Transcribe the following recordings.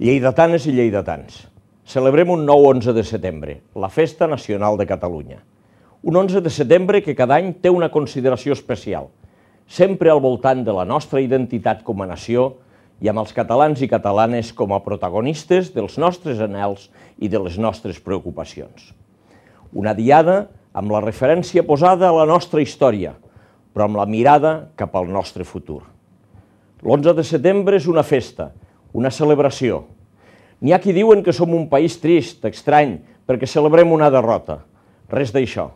Lleidatanes i lleidatans, celebrem un nou 11 de setembre, la Festa Nacional de Catalunya. Un 11 de setembre que cada any té una consideració especial, sempre al voltant de la nostra identitat com a nació i amb els catalans i catalanes com a protagonistes dels nostres anhels i de les nostres preocupacions. Una diada amb la referència posada a la nostra història, però amb la mirada cap al nostre futur. L'11 de setembre és una festa, una celebració. N'hi ha qui diuen que som un país trist, estrany, perquè celebrem una derrota. Res d'això.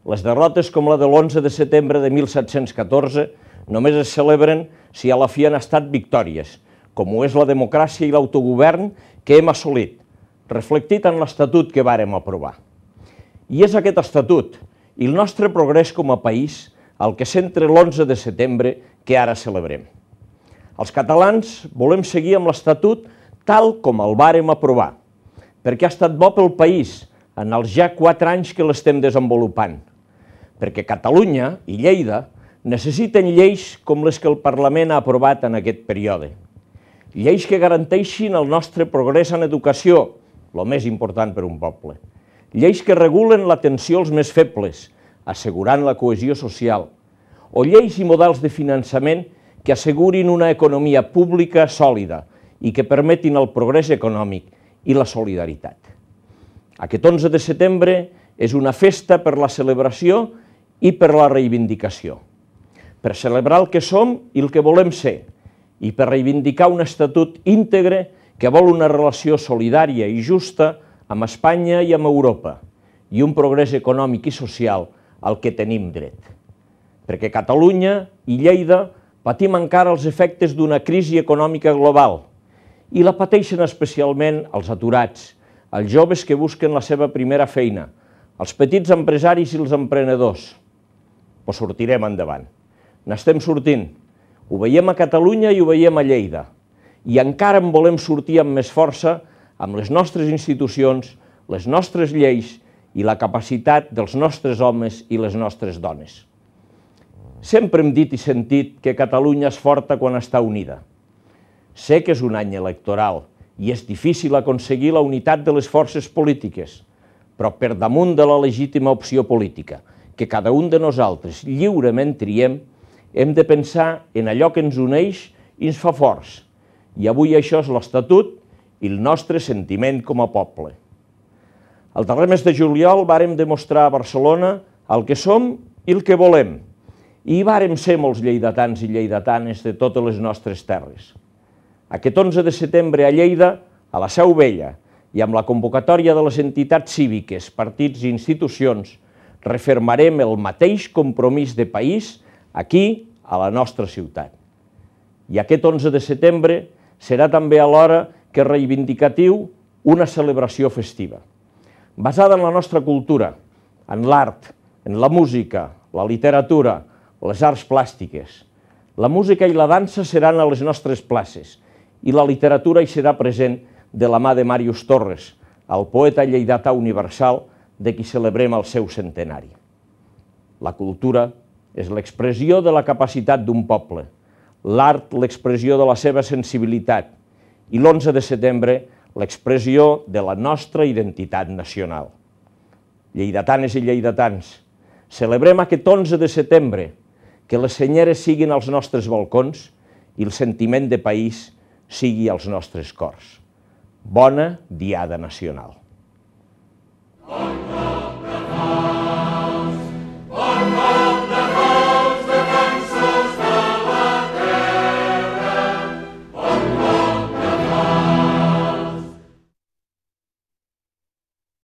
Les derrotes com la de l'11 de setembre de 1714 només es celebren si a la fi han estat victòries, com ho és la democràcia i l'autogovern que hem assolit, reflectit en l'Estatut que vàrem aprovar. I és aquest Estatut i el nostre progrés com a país el que centra l'11 de setembre que ara celebrem. Els catalans volem seguir amb l'Estatut tal com el vàrem aprovar, perquè ha estat bo pel país en els ja 4 anys que l'estem desenvolupant, perquè Catalunya i Lleida necessiten lleis com les que el Parlament ha aprovat en aquest període. Lleis que garanteixin el nostre progrés en educació, el més important per un poble. Lleis que regulen l'atenció als més febles, assegurant la cohesió social. O lleis i models de finançament que assegurin una economia pública sòlida i que permetin el progrés econòmic i la solidaritat. Aquest 11 de setembre és una festa per la celebració i per la reivindicació. Per celebrar el que som i el que volem ser i per reivindicar un estatut íntegre que vol una relació solidària i justa amb Espanya i amb Europa i un progrés econòmic i social al que tenim dret. Perquè Catalunya i Lleida patim encara els efectes d'una crisi econòmica global i la pateixen especialment els aturats, els joves que busquen la seva primera feina, els petits empresaris i els emprenedors. Però sortirem endavant. N'estem sortint. Ho veiem a Catalunya i ho veiem a Lleida. I encara en volem sortir amb més força amb les nostres institucions, les nostres lleis i la capacitat dels nostres homes i les nostres dones. Sempre hem dit i sentit que Catalunya és forta quan està unida. Sé que és un any electoral i és difícil aconseguir la unitat de les forces polítiques, però per damunt de la legítima opció política, que cada un de nosaltres lliurement triem, hem de pensar en allò que ens uneix i ens fa forts. I avui això és l'Estatut i el nostre sentiment com a poble. El darrer mes de juliol vàrem demostrar a Barcelona el que som i el que volem, i hi vàrem ser molts lleidatans i lleidatanes de totes les nostres terres. Aquest 11 de setembre a Lleida, a la Seu Vella, i amb la convocatòria de les entitats cíviques, partits i institucions, refermarem el mateix compromís de país aquí, a la nostra ciutat. I aquest 11 de setembre serà també alhora que reivindicatiu una celebració festiva, basada en la nostra cultura, en l'art, en la música, la literatura, les arts plàstiques. La música i la dansa seran a les nostres places i la literatura hi serà present de la mà de Màrius Torres, el poeta lleidatà universal de qui celebrem el seu centenari. La cultura és l'expressió de la capacitat d'un poble, l'art l'expressió de la seva sensibilitat i l'11 de setembre l'expressió de la nostra identitat nacional. Lleidatanes i lleidatans, celebrem aquest 11 de setembre, que les senyeres siguin als nostres balcons i el sentiment de país sigui als nostres cors. Bona Diada Nacional.